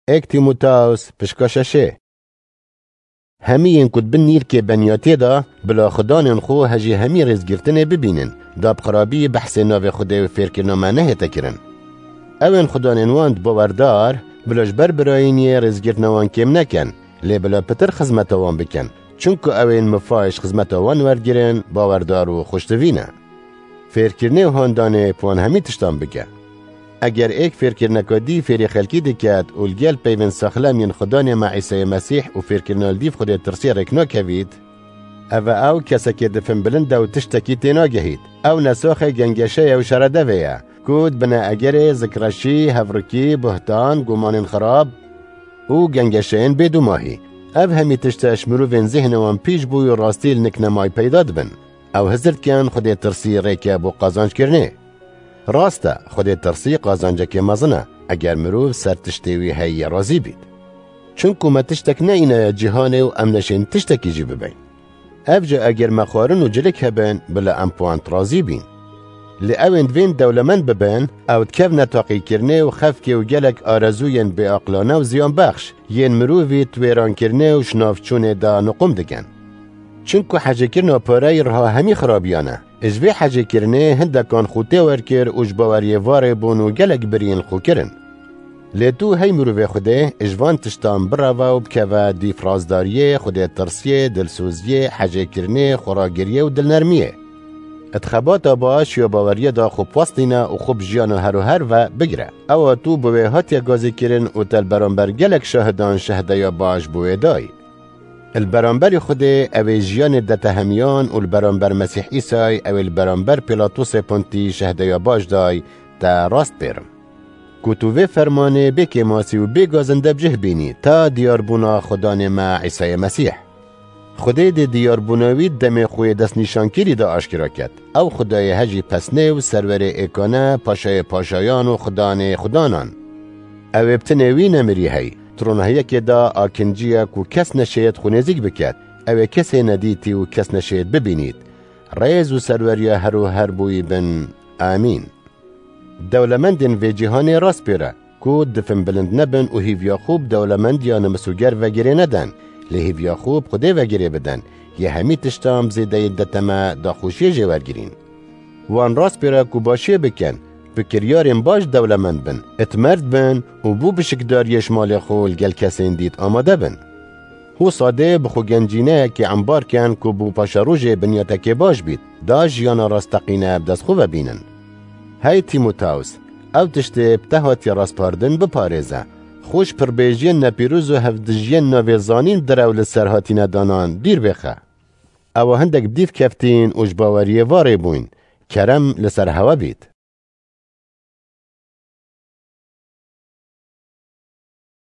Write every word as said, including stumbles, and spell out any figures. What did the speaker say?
Êk Tîmoteos pişka şeşê. Hemî yên ku di bin nîrkê beniyatiyê de bila xudanên xwe hejî hemî rêzgirtinê bibînin, da bi xirabî behsê navê Xwedê û fêrkirina me nehête kirin. Ew ên xudanên wan di bawerdar, bila ji ber birayîniyê rêzgirtina wan kêm nekin, lê bila pitir xizmeta wan bikin. Çunku ew ên mifayê ji xizmeta wan wergirin, bawerdar û xweştivî ne. Fêrkirinê û handanê bi wan hemî tiştan bike. Eger êk fêrkirineka dî fêrî xelkî diket û li gel peyvên saxlem yên xudanê me Îsayê Mesîh û fêrkirina li dîv Xwedê tirsiyê rêk nakevît, ev e ew kesekê di fin bilind e û tiştekî tênagehît. Ew nesaxê gengeşeya û şeredevê ye, ku di bine egerê zikreşî, hevrikî, buhtan, gumanên xirab û gengeşeyên bêdûmahî. Ev hemî tişt e ji mirovên zihna wan pîş bû û rastî li nik nemayî peyda dibin. Ew hizir dikin Xwedê tirsî rêke bo qazanc kirinê. Rast e, Xwedê tirsî qazancekê mezin e, eger mirov ser tiştê wî heye razî bît. Çunku me tiştek neîne ye cîhanê û em neşên tiştekî jî bibeyn. Ev jî eger me xwarin û cilik hebin, bila em bi wan razî bîn. Lê ew ên divên dewlemend bibin, ew dikevne taqîkirinê û xefkê û gelek arezûyên bêaqlane û ziyanbexş, yên mirovî di wêrankirinê û ji navçûnê de nuqum dikin. Çunku hecêkirina pareyî riha hemî xirabiyan e. Ji vê hecêkirinê hindekan xwe têwer kir û ji baweriyê varê bûn û gelek biriyên xwe kirin. Lê tu hey mirovê Xwedê, ji van tiştan bireve û bikeve dîf razdariyê, Xwedê tirsiyê, dilsoziyê, hecêkirinê, xweragiriyê û dilnermiyê. Di xebata baş ya baweriyê de xwe biwestîne û xwe bi jiyana her û her ve bigire. Ewa tu bi wê hatiye gazîkirin û te li beramber gelek şahidan şehdeya baş bi wê dayî. Li beramberî Xwedê ew ê jiyanê de te hemiyan û li beramber Mesîh Îsay ew ê li beramber Pîlatosê Pontî şehdeya baş day te rast pêrim. Ku tu vê fermanê bê kêmasî û bê gazinde bi cih bînî ta diyarbûna Xudanê me Îsayê Mesîh. Xwedê dê diyarbûna wî demê xwe yê destnîşankirî de aşkera ket. Ew Xwedayê hejî pesnê û serwerê êkane, paşayê paşayan û xudanê xudanan. Ew ê bi tinê wî nemirî hey. Di ronahiyekê de akincî ye ku kes neşêyet xwe nêzîk biket. Ew ê kesê nedîtî û kes neşêyet bibînît. Rêz û serweriya her û her bo wî bin. Amîn. Dewlemendên vê cîhanê rast pêre, ku difin bilind nebin û hîviya xwe bi dewlemendiya nimisuger vegirê neden, lê hîviya xwe bi Xwedê vegirê bidin, yê hemî tiştan bi zêdeyî deteme daxoşiyê jê wergirîn. Wan rast pêre ku başiyê bikin, bi kiryarên baş dewlemend bin, itmerd bin û bo bişikdariyê ji malê xwe li gel kesên dît amade bin. Wisa dê bi xwe gencîneyekê embar ken ku bo paşerojê binyatekê baş bît, da jiyana rasteqîne bi dest xwe ve bînin. Hey Tîmoteos, ew tiştê bi te hatiye rastpardin biparêze. Xwe ji pirbêjiyên nepîroz û hevdijiyên navê zanîn direw li ser hatîne danan dûr bêxe. Ewa hindek bi dîv keftîn û ji baweriyê varê bûyn. Kerem li ser hewe bît.